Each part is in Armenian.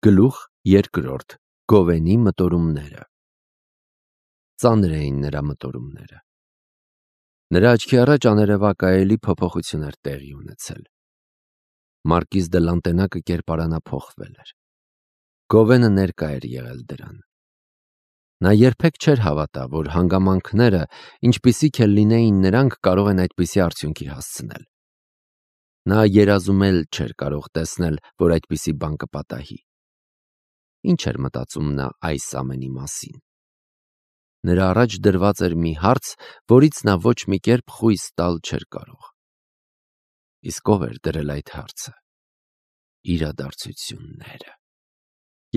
Գլուխ երկրորդ. Գովենի մտորումները։ Ծանր էին նրա մտորումները։ Նրա աչքի առաջ աներևակայելի փոփոխություն էր տեղի ունեցել։ Մարկիզ դե Լանտենակը կերպարանափոխվել էր։ Գովենը ներկա էր եղել դրան։ Նա երբեք չէր հավատա, որ հանգամանքները, ինչպիսիք էլ լինեին նրանք, կարող են այդպիսի արդյունքի հասցնել։ Նա երազում էլ չէր կարող տեսնել, որ այդպիսի բան կպատահի։ Ինչ էր մտածում նա այս ամենի մասին։ Նրա առաջ դրված էր մի հարց, որից նա ոչ մի կերպ խույս տալ չէր կարող։ Իսկ ով էր դրել այդ հարցը։ Իրադարձությունները։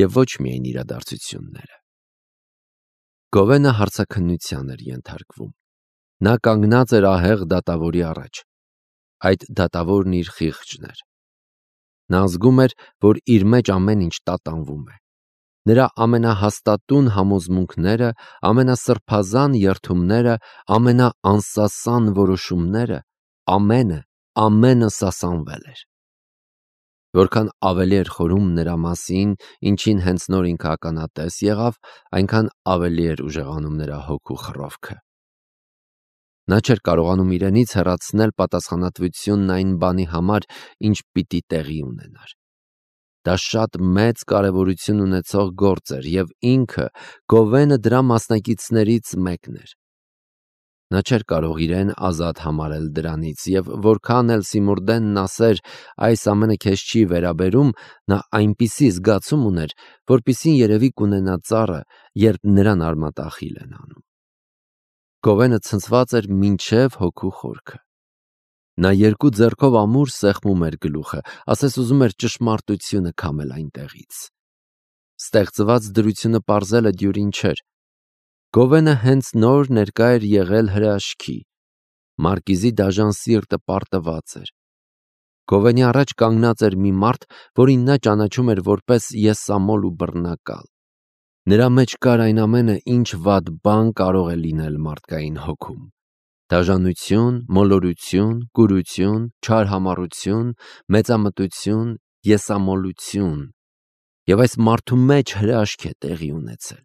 Եվ ոչ միայն իրադարձությունները։ Գովենը հարցաքննության էր ենթարկվում։ Նա կանգնած էր ահեղ դատավորի առաջ։ Այդ դատավորն իր խիղճն էր։ Նա զգում էր, որ իր մեջ ամեն ինչ տատանվում է։ Նրա ամենահաստատուն համոզմունքները, ամենասրբազան երդումները, ամենաանսասան որոշումները, ամենը սասանվել էր։ Որքան ավելի էր խորում նրա մասին, ինչին հենց նոր ինքը ականատես եղավ, այնքան ավելի էր ուժեղանում նրա հոգու խռովքը։ Նա չէր կարողանում իրենից հեռացնել պատասխանատվությունն այն բանի համար, ինչ պիտի տեղի ունենար։ Դա շատ մեծ կարևորություն ունեցող գործ էր, և ինքը, Գովենը, դրա մասնակիցներից մեկն էր։ Նա չէր կարող իրեն ազատ համարել դրանից, և որքան էլ Սիմուրդենն ասեր այս ամենը քեզ չի վերաբերում, նա այնպիսի զգացում ուներ, որպիսին երևի կունենա ծառը, երբ նրան արմատախիլ են անում։ Գովենը ցնցված էր մինչև հոգու խորքը։ Նա երկու ձեռքով ամուր սեղմում էր գլուխը, ասես ուզում էր ճշմարտությունը քամել այնտեղից։ Ստեղծված դրությունը պարզելը դյուրին չէր։ Գովենը հենց նոր ներկա էր եղել հրաշքի։ Մարկիզի դաժան սիրտը պարտված էր։ Գովենի առաջ կանգնած էր մի մարդ, որին նա ճանաչում էր որպես եսամոլ ու բռնակալ։ Նրա մեջ կար այն ամենը, ինչ վատ բան կարող է լինել մարդկային հոգում։ Դաժանություն, մոլորություն, կուրություն, չարհամառություն, մեծամտություն, եսամոլություն։ Եվ այս մարդու մեջ հրաշք է տեղի ունեցել։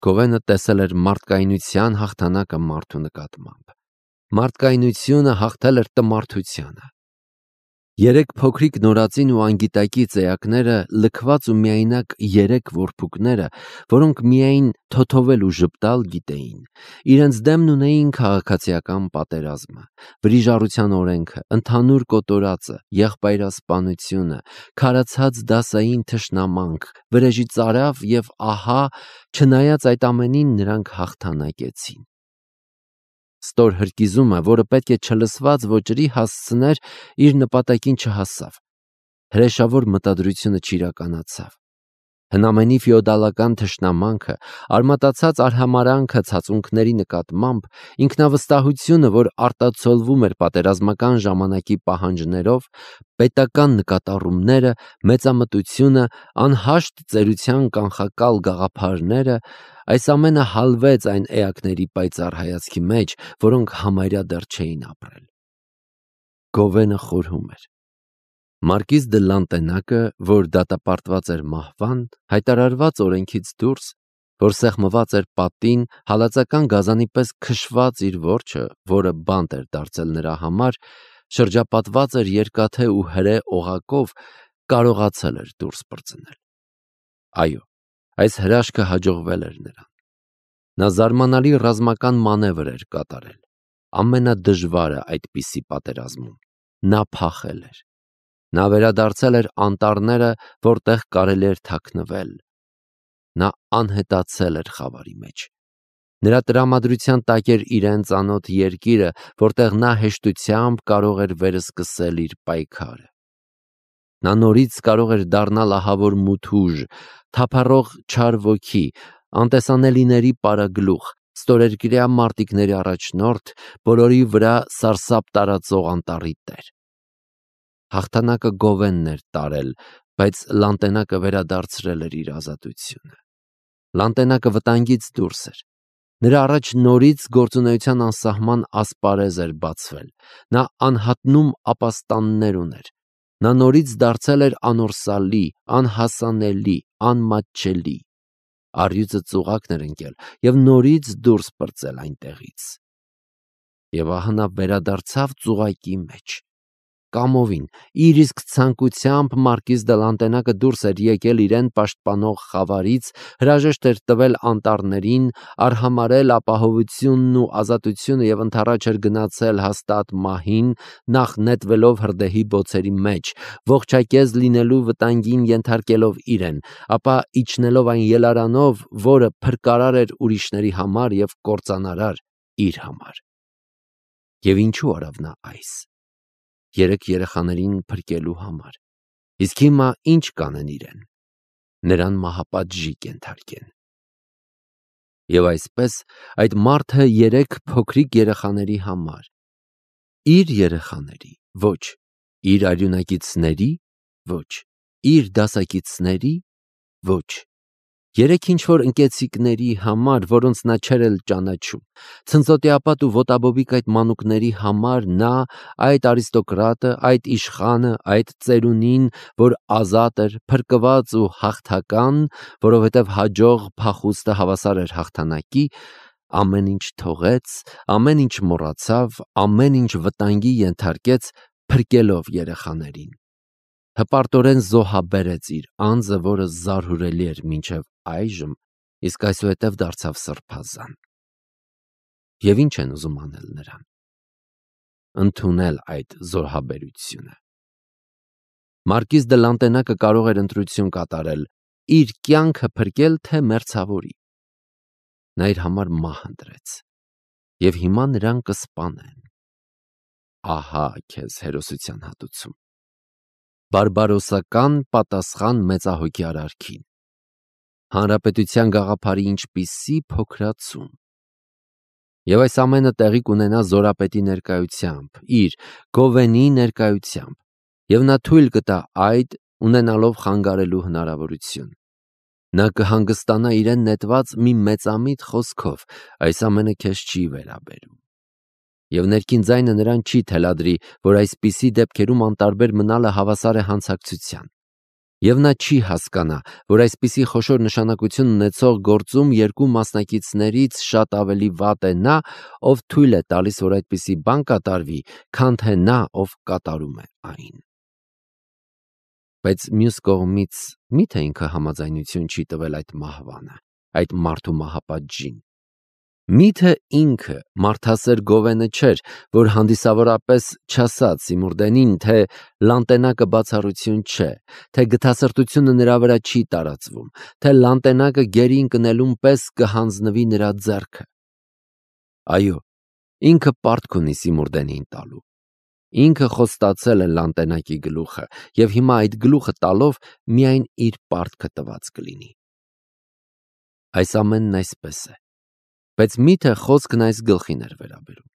Գովենը տեսել էր մարդկայնության հաղթանակը մարդու նկատմամբ։ Մարդկայնությունը հաղթել էր տմարդությանը։ Երեք փոքրիկ նորածին ու անգիտակից էակները, լքված ու միայնակ երեք որփուկները, որոնք միայն թոթովել ու ժպտալ գիտեին, իրենց դեմն ունեին քաղաքացիական պատերազմը, վրիժառության օրենքը, ընդհանուր կոտորածը, եղբայրասպանությունը, քարացած դասային թշնամանք, վրեժի ծարավ և ահա, չնայած այդ ամենին, նրանք հաղթանակեցին։ Ստոր հրկիզումը, որը պետք է չլսված ոճրի հասցներ, իր նպատակին չհասավ։ Հրեշավոր մտադրությունը չիրականացավ։ Հնամենի ֆեոդալական թշնամանքը, արմատացած արհամարանքը ցածունքների նկատմամբ, ինքնավստահությունը, որ արտացոլվում էր պատերազմական ժամանակի պահանջներով, պետական նկատառումները, մեծամտությունը, անհաշտ ծերության կանխակալ գաղափարները, այս ամենը հալվեց այն էակների պայծառ հայացքի մեջ, որոնք համարյա դեռ չէին ապրել։ Գովենը խորհում էր։ Մարկիզ դե Լանտենակը, որ դատապարտված էր մահվան, հայտարարված օրենքից դուրս, որ սեղմված էր պատին, հալածական գազանի պես քշված իր որջը, որը բանտ էր դարձել նրա համար, շրջապատված էր երկաթե ու հրե օղակով, կարողացել էր դուրս պրծնել։ Այո, այս հրաշքը հաջողվել էր նրան։ Նա զարմանալի ռազմական մանևր էր կատարել։ Ամենադժվարը այդպիսի պատերազմում։ Նա փախել էր։ Նա վերադարձել էր անտառները, որտեղ կարելի էր թաքնվել։ Նա անհետացել էր խավարի մեջ։ Նրա տրամադրության տակ էր իրեն ծանոթ երկիրը, որտեղ նա հեշտությամբ կարող էր վերսկսել իր պայքարը։ Նա նորից կարող էր դառնալ ահավոր մութուժ, թափառող չար ոգի, անտեսանելիների պարագլուխ, ստորերկրյա մարտիկների առաջնորդ, բոլորի վրա սարսափ տարածող անտառի տեր։ Հաղթանակը Գովենն էր տարել, բայց Լանտենակը վերադարձրել էր իր ազատությունը։ Լանտենակը վտանգից դուրս էր։ Նրա առաջ նորից գործունեության անսահման ասպարեզ էր բացվել։ Նա անհատնում ապաստաններ ուներ։ Նա նորից դարձել էր անորսալի, անհասանելի, անմատչելի։ Առյուծը ծուղակն էր ընկել և նորից դուրս պրծել այնտեղից։ Եվ ահա նա վերադարձավ ծուղակի մեջ։ Կամովին, իր իսկ ցանկությամբ մարկիզ դե Լանտենակը դուրս էր եկել իրեն պաշտպանող խավարից, հրաժեշտ էր տվել անտառներին, արհամարհել ապահովությունն ու ազատությունը և ընդառաջ էր գնացել հաստատ մահին, նախ նետվելով հրդեհի բոցերի մեջ, ողջակեզ լինելու վտանգին ենթարկելով իրեն, ապա իջնելով այն ելարանով, որը փրկարար էր ուրիշների համար և կործանարար իր համար։ Եվ ինչու արավ նա այս։ 3 երեխաներին փրկելու համար։ Իսկ հիմա ինչ կանեն իրեն։ Նրան մահապատժի կենթարկեն։ Եվ այսպես այդ մարդը 3 փոքրիկ երեխաների համար, իր երեխաների, ոչ, իր արյունակիցների, ոչ, իր դասակիցների, ոչ, 3 ինչ-որ ընկեցիկների համար, որոնց նա չէր էլ ճանաչում, ցնծոտիապատ ու ոտաբոբիկ այդ մանուկների համար նա, այդ արիստոկրատը, այդ իշխանը, այդ ծերունին, որ ազատ էր, փրկված ու հաղթական, որովհետև հաջող փախուստը հավասար էր հաղթանակի, ամեն ինչ թողեց, ամեն ինչ մոռացավ, ամեն ինչ վտանգի ենթարկեց, փրկելով երեխաներին։ Հպարտորեն զոհաբերեց իր անձը, որը զարհուրելի էր մինչև այժմ, իսկ այսուհետև դարձավ սրբազան։ Եվ ինչ են ուզում անել նրան։ Ընդունել այդ զոհաբերությունը։ Մարկիզ դե Լանտենակը կարող էր ընտրություն կատարել, իր կյանքը փրկել, թե մերձավորի։ Նա իր համար մահ ընտրեց։ Եվ հիմա նրան կսպանեն։ Ահա քեզ հերոսության հատուցում։ Բարբարոսական պատասխան մեծահոգի արարքին։ Հանրապետության գաղափարի ինչպիսի փոքրացում։ Եվ այս ամենը տեղի կունենա զորապետի ներկայությամբ, իր Գովենի ներկայությամբ, և նա թույլ կտա այդ, ունենալով խանգարելու հնարավորություն։ Նա կհանգստանա իրեն նետված մի մեծամիտ խոսքով, այս ամենը քեզ չի վերաբերում։ Եվ ներքին ձայնը նրան չի թելադրի, որ այսպիսի դեպքերում անտարբեր մնալը հավասար է հանցակցության։ Եվ նա չի հասկանա, որ այսպիսի խոշոր նշանակություն ունեցող գործում 2 մասնակիցներից շատ ավելի վատ է նա, ով թույլ է տալիս, որ այդպիսի բան կատարվի, քան թե նա, ով կատարում է այն։ Բայց մյուս կողմից, միթե ինքը համաձայնություն չի տվել այդ մահվանը, այդ մարդու մահապատժին։ Միթե ինքը մարդասեր Գովենը չէր, որ հանդիսավորապես չասաց Սիմուրդենին, թե Լանտենակը բացառություն չէ, թե գթասրտությունը նրա վրա չի տարածվում, թե Լանտենակը գերի ընկնելուն պես կհանձնվի նրա ձեռքը։ Այո, ինքը պարտք ունի Սիմուրդենին տալու։ Ինքը խոստացել է Լանտենակի գլուխը, և հիմա այդ գլուխը տալով միայն իր պարտքը տված կլինի։ Այս ամենն այսպես է, բայց միթե խոսքն այս գլխին էր վերաբերում։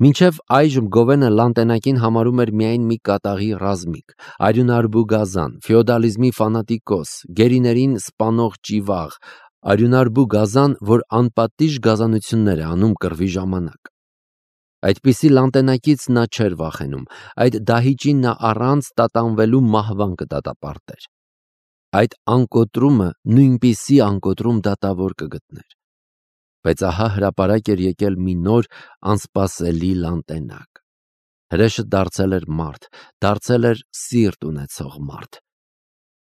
Մինչև այժմ Գովենը Լանտենակին համարում էր միայն մի կատաղի ռազմիկ, արյունարբու գազան, ֆեոդալիզմի ֆանատիկոս, գերիներին սպանող ճիվաղ, արյունարբու գազան, որ անպատիժ գազանություններ է անում կռվի ժամանակ։ Այդպիսի Լանտենակից նա չէր վախենում, այդ դահիճին նա առանց տատանվելու մահվան կդատապարտեր։ Այդ անկոտրումը նույնպիսի անկոտրում դատավոր կգտներ։ Բայց ահա հրապարակ էր եկել մի նոր անսպասելի Լանտենակ։ Հրեշը դարձել էր մարդ, դարձել էր սիրտ ունեցող մարդ։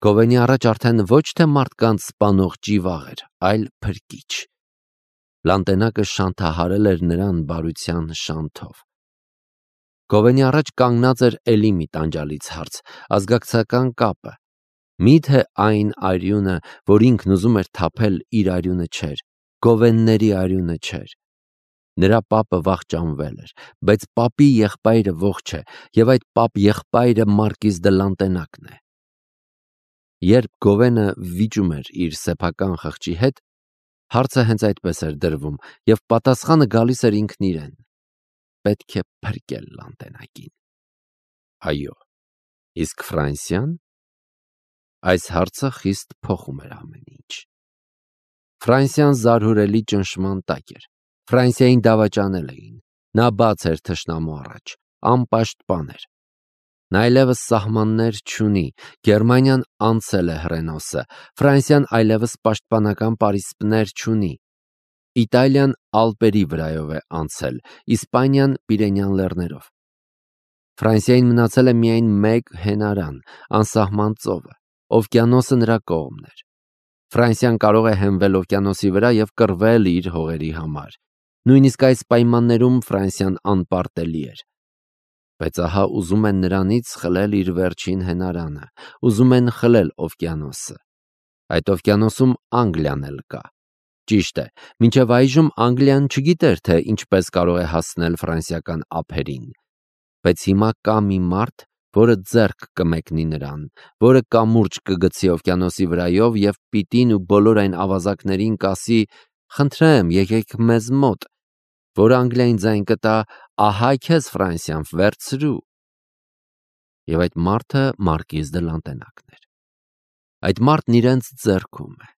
Գովենի առաջ արդեն ոչ թե մարդկանց սպանող ճիվաղ էր, այլ փրկիչ։ Լանտենակը շանթահարել էր նրան բարության շանթով։ Գովենի առաջ կանգնած էր էլի մի տանջալից հարց, ազգակցական կապը։ Միթե այն արյունը, որ ինքն ուզում էր թափել, իր արյունը չէր, Գովենների արյունը չէր։ Նրա պապը վախճանվել էր, բայց պապի եղբայրը ողջ է, և այդ պապ եղբայրը Մարկիզ դե Լանտենակն է։ Երբ Գովենը վիճում էր իր սեփական խղճի հետ, հարցը հենց այդպես էր դրվում, և պատասխանը գալիս էր ինքն իրեն. պետք է փրկել Լանտենակին։ Այո, իսկ Ֆրանսիան։ Այս հարցը խիստ փոխում էր ամեն ինչ։ Ֆրանսիան զարհուրելի ճնշման տակ էր։ Ֆրանսիային դավաճանել էին։ Նա բաց էր թշնամու առաջ, անպաշտպան էր։ Նա այլևս սահմաններ չունի, Գերմանիան անցել է Հռենոսը, Ֆրանսիան այլևս պաշտպանական պարիսպներ չունի, Իտալիան Ալպերի վրայով է անցել, Իսպանիան Պիրենյան լեռներով։ Ֆրանսիային մնացել է միայն մեկ հենարան, անսահման ծովը, օվկիանոսը նրա կողմն էր։ Ֆրանսիան կարող է հենվել օվկիանոսի վրա և կռվել իր հողերի համար։ Նույնիսկ այս պայմաններում Ֆրանսիան անպարտելի էր։ Բայց ահա ուզում են նրանից խլել իր վերջին հենարանը, ուզում են խլել օվկիանոսը։ Այդ օվկիանոսում Անգլիան էլ կա։ Ճիշտ է, մինչև այժմ Անգլիան չգիտեր, թե ինչպես կարող է հասնել ֆրանսիական ափերին։ Բայց հիմա կա մի մարդ, որը ձեռք կմեկնի նրան, որը կամուրջ կգցի օվկիանոսի վրայով և պիտին ու բոլոր այն ավազակներին կասի. «Խնդրեմ, եկեք մեզ մոտ», որ Անգլիային ձայն կտա. «Ահա քեզ Ֆրանսիան, վերցրու»։ Եվ այդ մարդը Մարկիզ դե Լանտենակն էր։ Այդ մարդն իրենց ձեռքում է։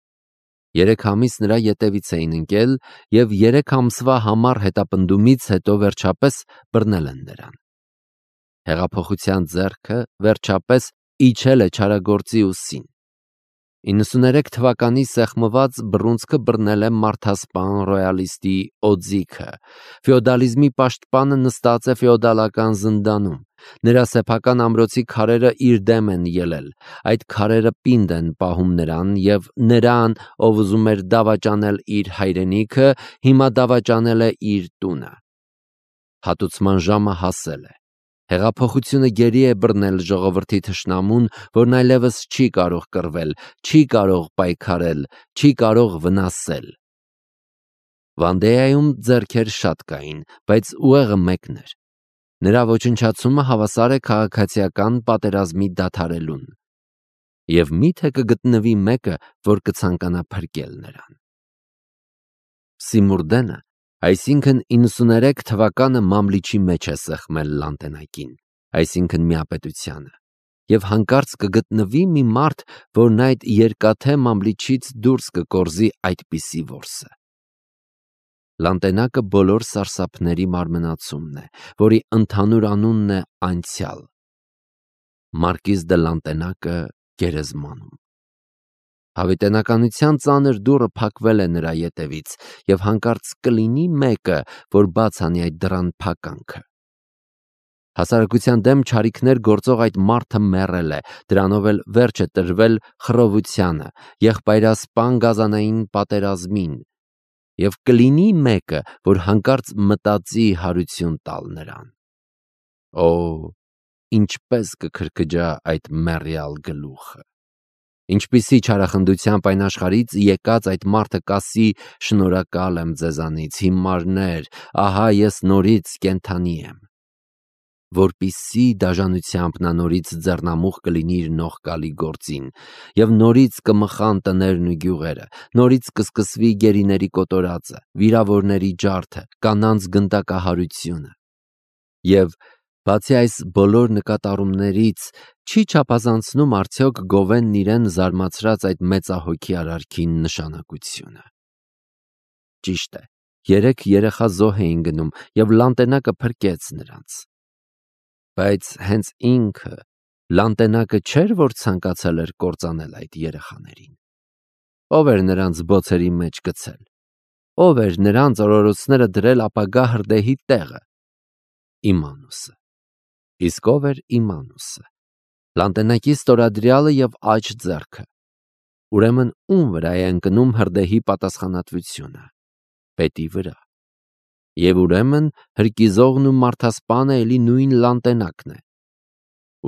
3 ամիս նրա ետևից էին ընկել և 3 ամսվա համառ հետապնդումից հետո վերջապես բռնել են նրան։ Հեղափոխության ձեռքը վերջապես իջել է չարագործի ուսին։ 93 թվականի սեղմված բռունցքը բռնել է մարդասպան ռոյալիստի օձիքը։ Ֆեոդալիզմի պաշտպանը նստած է ֆեոդալական զնդանում։ Նրա սեփական ամրոցի քարերը իր դեմ են ելել։ Այդ քարերը պինդ են պահում նրան և նրան, ով ուզում էր դավաճանել իր հայրենիքը, հիմա դավաճանել է իր տունը։ Հատուցման ժամը հասել է։ Հեղափոխությունը գերի է բռնել ժողովրդի թշնամուն, որն այլևս չի կարող կռվել, չի կարող պայքարել, չի կարող վնասել։ Վանդեայում ձեռքեր շատ կային, բայց ուղեղը մեկն էր։ Նրա ոչնչացումը հավասար է քաղաքացիական պատերազմի դադարելուն։ Եվ միթե կգտնվի մեկը, որ կցանկանա փրկել նրան։ Սիմուրդենը, այսինքն 93 թվականը մամլիչի մեջ է սեղմել Լանտենակին, այսինքն միապետությանը, և հանկարծ կգտնվի մի մարդ, որն այդ երկաթե մամլիչից դուրս կկորզի այդպիսի որսը։ Լանտենակը բոլոր սարսափների մարմնացումն է, որի ընդհանուր անունն է անցյալ։ Մարկիզ դե Լանտենակը գերեզմանում։ Հավիտենականության ծանր դուռը փակվել է նրա ետևից, և հանկարծ կլինի մեկը, որ բաց անի այդ դռան փականքը։ Հասարակության դեմ չարիքներ գործող այդ մարդը մեռել է, դրանով էլ վերջ է տրվել խռովությանը, եղբայրասպան գազանային պատերազմին, և կլինի մեկը, որ հանկարծ մտածի հարություն տալ նրան։ Օ, ինչպես կքրքջա այդ մեռյալ գլուխը։ Ինչպիսի չարախնդությամբ այն աշխարհից եկած այդ մարդը կասի. «Շնորհակալ եմ ձեզանից, հիմարներ, ահա ես նորից կենդանի եմ»։ Որպիսի դաժանությամբ նա նորից ձեռնամուխ կլինի իր նողկալի գործին, և նորից կմխան տներն ու գյուղերը, նորից կսկսվի գերիների կոտորածը, վիրավորների ջարդը, կանանց գնդակահարությունը։ Եվ բացի այս բոլոր նկատառումներից, չի չափազանցնում արդյոք Գովենն իրեն զարմացրած այդ մեծահոգի արարքի նշանակությունը։ Ճիշտ է, 3 երեխա զոհ էին գնում, և Լանտենակը փրկեց նրանց։ Բայց հենց ինքը, Լանտենակը չէր, որ ցանկացել էր կործանել այդ երեխաներին։ Ով էր նրանց բոցերի մեջ գցել։ Ով էր նրանց օրորոցները դրել ապագա հրդեհի տեղը։ Իմանուսը։ Իսկ ով էր Իմանուսը։ Լանտենակի ստորադրյալը և աջ ձեռքը։ Ուրեմն ում վրա է ընկնում հրդեհի պատասխանատվությունը։ Պետի վրա։ Եվ ուրեմն հրկիզողն ու մարդասպանը էլի նույն Լանտենակն է։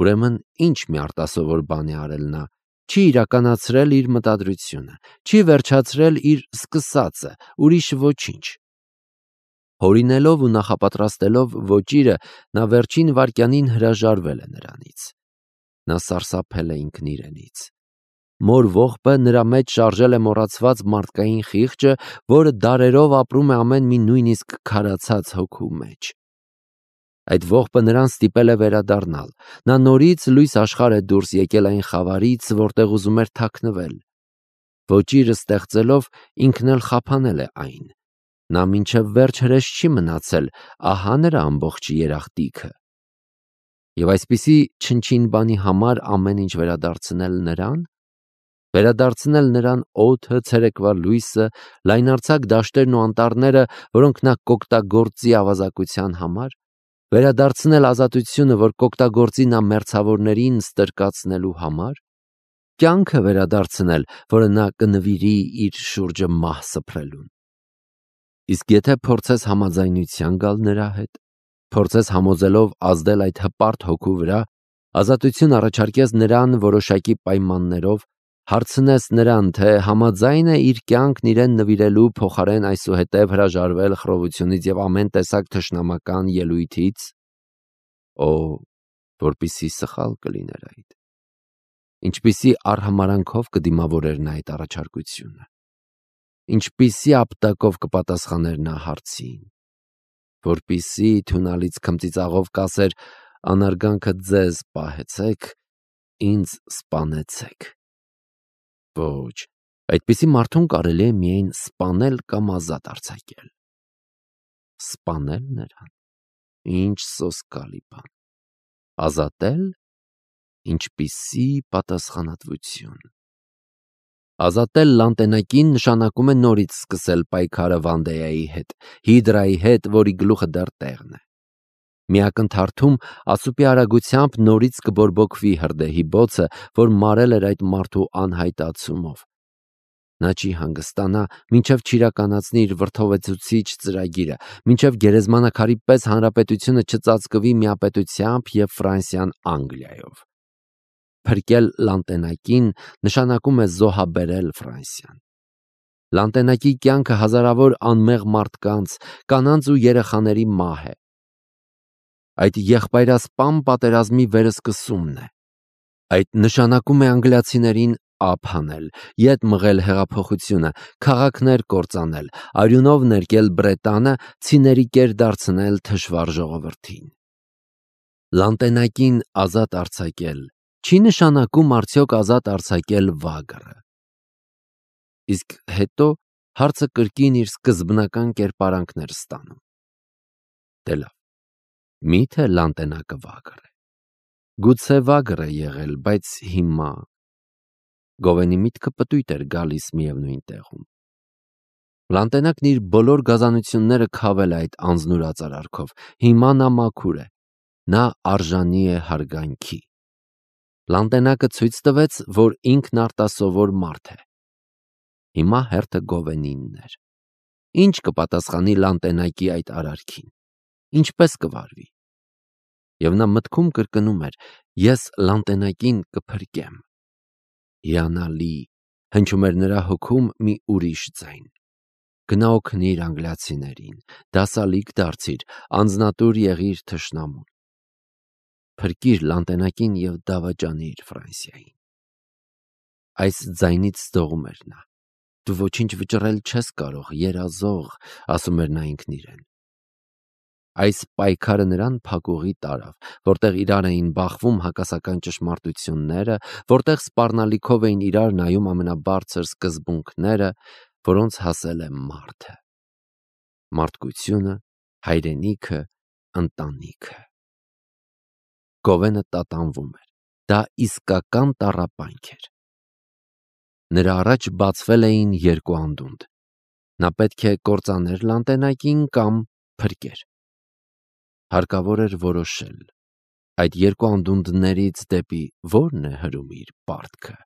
Ուրեմն ինչ մի արտասովոր բան է արել նա, չի իրականացրել իր մտադրությունը, չի վերջացրել իր սկսածը, ուրիշ ոչինչ։ Հորինելով ու նախապատրաստելով ոճիրը, նա վերջին վայրկյանին հրաժարվել է նրանից։ Նա սարսափել է ինքն իրենից։ Մոր ողբը նրա մեջ շարժել է մոռացված մարդկային խիղճը, որը դարերով ապրում է ամեն մի նույնիսկ քարացած հոգու մեջ։ Այդ ողբը նրան ստիպել է վերադառնալ։ Նա նորից լույս աշխարհ է դուրս եկել այն խավարից, որտեղ ուզում էր թաքնվել։ Ոճիրը ստեղծելով ինքն էլ խափանել է այն։ Նա մինչև վերջ հրես չի մնացել, ահա նրա ամբողջ երախտիկը։ Եվ այսպիսի չնչին բանի համար ամեն ինչ վերադարձնել նրան օդը, ցերեկվա լույսը, լայնարձակ դաշտերն ու անտառները, որոնք նա կօգտագործի ավազակության համար, վերադարձնել ազատությունը, որ կօգտագործի նա մերձավորներին ստրկացնելու համար, կյանքը վերադարձնել, որը նա կնվիրի իր շուրջը մահ սփռելուն։ Իսկ եթե փորձես համաձայնության գալ նրա հետ, փորձես համոզելով ազդել այդ հպարտ հոգու վրա, ազատություն առաջարկես նրան որոշակի պայմաններով, հարցնես նրան, թե համաձայն է իր կյանքն իրեն նվիրելու փոխարեն այսուհետև հրաժարվել խռովությունից և ամեն տեսակ թշնամական ելույթից, որպիսի սխալ կլիներ այդ։ Ինչպիսի արհամարանքով կդիմավորեր նա այդ առաջարկությունը, ինչպիսի ապտակով կպատասխաներ նա հարցին, որպիսի թունալից քմծիծաղով կասեր անարգանքը ձեզ պահեցեք, ինձ սպանեցեք։ Ոչ, այդպիսի մարդուն կարելի է միայն սպանել կամ ազատ արձակել։ Սպանել նրան, ինչ սոսկալի բան։ Ազատել, ինչպիսի պատասխանատվություն։ Ազատել Լանտենակին նշանակում է նորից սկսել պայքարը Վանդեայի հետ, Հիդրայի հետ, որի գլուխը դեռ տեղն է։ Մի ակնթարթում ասուպի արագությամբ նորից կբորբոքվի հրդեհի բոցը, որ մարել էր այդ մարդու անհայտացումով։ Նա չի հանգստանա, մինչև չիրականացնի իր վրդովեցուցիչ ծրագիրը, մինչև գերեզմանաքարի պես հանրապետությունը չծածկվի միապետությամբ և Ֆրանսիան Անգլիայով։ Փրկել Լանտենակին նշանակում է զոհաբերել Ֆրանսիան։ Լանտենակի կյանքը հազարավոր անմեղ մարդկանց, կանանց ու երեխաների մահ է։ Այդ եղբայրասպան պատերազմի վերսկսումն է։ Այդ նշանակում է անգլիացիներին ափ հանել, ետ մղել հեղափոխությունը, քաղաքներ կործանել, արյունով ներկել Բրետանը, ցիների կեր դարձնել թշվառ ժողովրդին։ Լանտենակին ազատ արձակել չի նշանակում արդյոք ազատ արձակել վագրը։ Իսկ հետո հարցը կրկին իր սկզբնական կերպարանքն էր ստանում։ Դե լավ, միթե Լանտենակը վագր է։ Գուցե վագր է եղել, բայց հիմա… Գովենի միտքը պտույտ էր գալիս միևնույն տեղում։ Լանտենակն իր բոլոր գազանությունները քավել է այդ անձնուրաց արարքով, հիմա նա մաքուր է, նա արժանի է հարգանքի։ Լանտենակը ցույց տվեց, որ ինքն արտասովոր մարդ է։ Հիմա հերթը Գովենինն էր։ Ինչ կպատասխանի Լանտենակի այդ արարքին, ինչպես կվարվի։ Եվ նա մտքում կրկնում էր. ես Լանտենակին կփրկեմ։ Հիանալի, հնչում էր նրա հոգում մի ուրիշ ձայն։ Գնա օգնիր անգլիացիներին, դասալիկ դարձիր, անձնատուր եղիր թշնամուն։ Փրկիր Լանտենակին և դավաճանիր Ֆրանսիային։ Այս ձայնից զդողում էր նա։ Դու ոչինչ վճռել չես կարող, երազող, ասում էր նա ինքն իրեն։ Այս պայքարը նրան փակուղի տարավ, որտեղ իրար էին բախվում հակասական ճշմարտությունները, որտեղ սպառնալիքով էին իրար նայում ամենաբարձր սկզբունքները, որոնց հասել է մարդը։ Մարդկությունը, հայրենիքը, ընտանիքը։ Գովենը տատանվում էր։ Դա իսկական տառապանք էր։ Նրա առաջ բացվել էին երկու անդունդ։ Նա պետք է կործաներ Լանտենակին կամ փրկեր։ Հարկավոր էր որոշել։ Այդ երկու անդունդներից դեպի ո՞րն է հրում իր պարտքը։